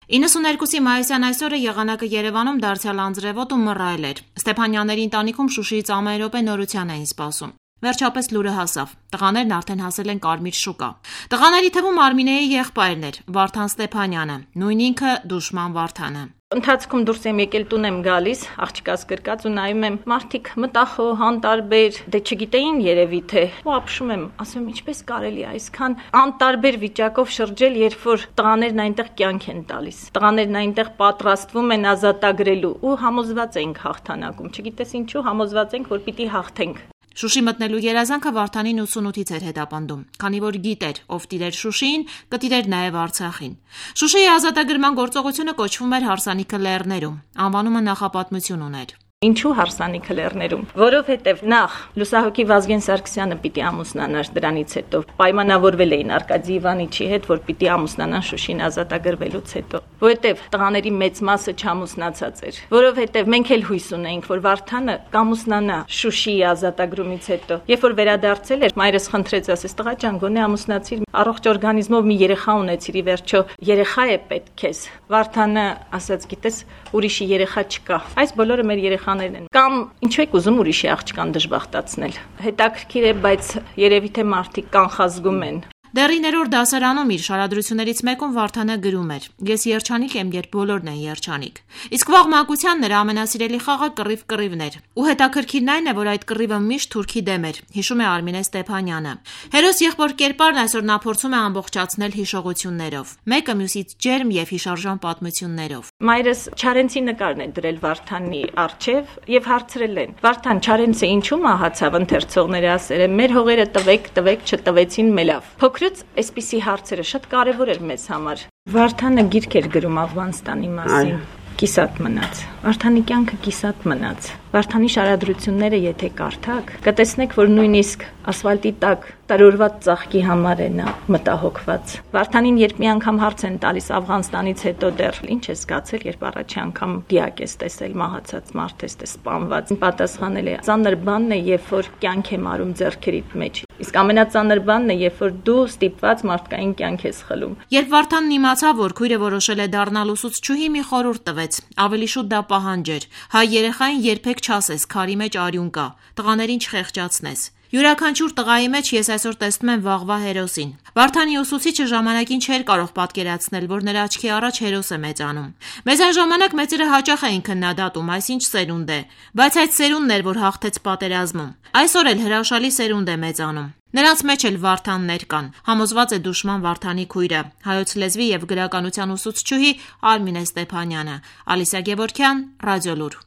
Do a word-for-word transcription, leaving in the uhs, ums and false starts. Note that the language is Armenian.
իննսուներկուսի մայիսյան այսօրը եղանակը Երևանում դարձյալ անձրևոտ ու մռայլ էր։ Ստեփանյանների ընտանիքում Շուշիից ամեն րոպե նորության էին սպասում։ Վերջապես լուրը հասավ։ Տղաներն արդեն հասել են Կարմիր շուկա։ Տղաների թվում Արմինեի եղբայրն էր, Վարդան Ստեփանյանը, նույն ինքը Դուշման Վարդանը։ Ընթացքում դուրս եմ եկել, տուն եմ գալիս, աղջկաս գրկած ու նայում եմ, մարդիկ մտախոհ, անտարբեր, դե չգիտեին երևի թե, ու ապշում եմ, ասում եմ, ինչպես կարելի է այսքան անտարբեր վիճակով շրջել, երբ որ տղաներն այնտեղ կյանք են տալիս։ Տղաներն այնտեղ պատրաստվում են ազատագրելու ու համոզված ենք հաղթանակում, չգիտես ինչու համոզված ենք, որ պիտի հաղթենք։ Շուշի մտնելու երազանքը Վարդանին ութսունութից էր հետապնդում, քանի որ գիտեր, ով տիրեր Շուշիին, կտիրեր նաև Արցախին։ Շուշիի ազատագրման գործողությունը կոչվում էր Հարսանիքը լեռներում, անվանումը նախապատմություն ուներ։ Ինչու Հարսանիքը լեռներում, որովհետև նախ լուսահոգի Վազգեն Սարգսյանը պիտի ամուսնանար, դրանից հետո պայմանավորվել էին Արկադի Իվանիչի հետ, որ պիտի ամուսնանան Շուշին ազատագրվելուց հետո, որովհետև տղաների մեծ մասը չամուսնացած էր, որովհետև մենք էլ հույս ունեինք, որ Վարդանը կամուսնանա Շուշիի ազատագրումից հետո, երբ որ վերադարձել էր, մայրս խնդրեց, ասես տղա ջան, գոնե ամուսնացիր, առողջ օրգանիզմով մի երեխա ունեցիր, ի վերջո երեխա է պետք քեզ։ Վարդանը ասաց, գիտես, ուրիշի երեխա չկա, այս բոլորը մեր երեխաներն են, կամ ինչու եք ուզում ուրիշի աղջկան դժբախտացնել։ Հետաքրքիր է, բայց երևի թե մարդիկ կանխազգում են։ Դեռիներորդ դասարանում իր շարադրություններից մեկում Վարդանը գրում էր. «Ես երջանիկ եմ, երբ բոլորն են երջանիկ»։ Իսկ վաղ մանկության նրա ամենասիրելի խաղը կռիվ-կռիվն էր։ Ու հետաքրքիրն այն է, որ այդ կռիվը միշտ թուրքի դեմ էր, հիշում է Արմինե Ստեփանյանը։ Հերոս եղբոր կերպարն այսօր նա փորձում է ամբողջացնել հիշողություններով, մեկը մյուսից ջերմ եւ հիշարժան պատմություններով։ Մայրս Չարենցի նկարն է դրել Վարդանի առջև եւ հարցրել են. Վարդան, Չարենցը ինչու մահացավ, ընթերցողները ասել են, մեր հողերը տվեք, տվեք, չտվեցին մելավ։ Փոքրուց այսպիսի հարցերը շատ կարևոր էր մեզ համար։ Վարդանը գիրք էր գրում Աֆղանստանի մասին, կիսատ մնաց։ Վարդանի կյանքը կիսատ մնաց։ Վարդանի շարադրությունները եթե կարդաք, կտեսնեք, որ նույնիսկ ասֆալտի տակ տարօրված ծաղկի համար է նա մտահոգված։ Վարդանին երբ մի անգամ հարց են տալիս Աֆղանստանից հետո դեռ ինչ է զգացել, երբ առաջի անգամ դիակ ես տեսել, մահացած մարդ ես տեսել, սպանված, պատասխանել է. ծանր բանն է, երբ որ կյանք է մարում ձեռքերիդ մեջ։ Իսկ ամենածանր բանն է, երբ որ դու ստիպված մարդկային կյանք ես խլում։ Երբ Վարդանն իմացավ, որ քույրը որոշել է դառնալ ուսուցչուհի, մի խորհուրդ տվեց, ավելի շուտ դա պահանջ էր։ Հայ երեխային երբեք չասես, քարի մեջ արյուն կա, տղաներին չխեղճացնես։ Յուրաքանչյուր տղայի մեջ ես այսօր տեսնում եմ վաղվա հերոսին։ Վարդանի ուսուցիչը ժամանակին չէր կարող պատկերացնել, որ նրա աչքի առաջ հերոս է մեծանում։ Մեզ այն ժամանակ մեծերը հաճախ էին քննադատում, այսինչ սերունդ է, բայց այդ սերունդն էր, որ հաղթեց պատերազմում։ Այսօր էլ հրաշալի սերունդ է մեծանում։ Նրանց մեջ էլ Վարդաններ կան, համոզված է Դուշման Վարդանի քույրը, հայոց լեզվի եւ գրականության ուսուցչուհի Արմինե Ստեփանյանը։ Ալիսա Գևորգյան, Ռադիոլուր։